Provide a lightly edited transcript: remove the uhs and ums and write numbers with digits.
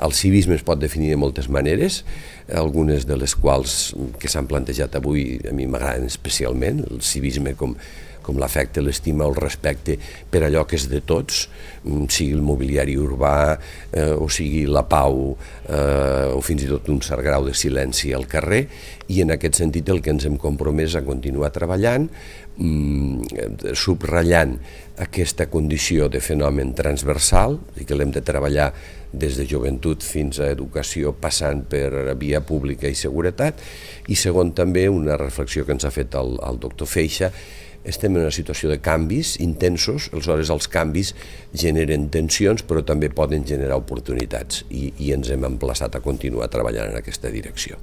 El civisme es pot definir de moltes maneres, algunes de les quals que s'han plantejat avui a mi m'agraden especialment, el civisme com l'afecte, l'estima o el respecte per allò que és de tots, sigui el mobiliari urbà o sigui la pau o fins i tot un cert grau de silenci al carrer, i en aquest sentit el que ens hem compromès a continuar treballant, subratllant aquesta condició de fenomen transversal, i que l'hem de treballar des de joventut fins a educació, passant per via pública i seguretat, i segon també una reflexió que ens ha fet el doctor Feixa. Estem en una situació de canvis intensos, aleshores els canvis generen tensions però també poden generar oportunitats i ens hem emplaçat a continuar treballant en aquesta direcció.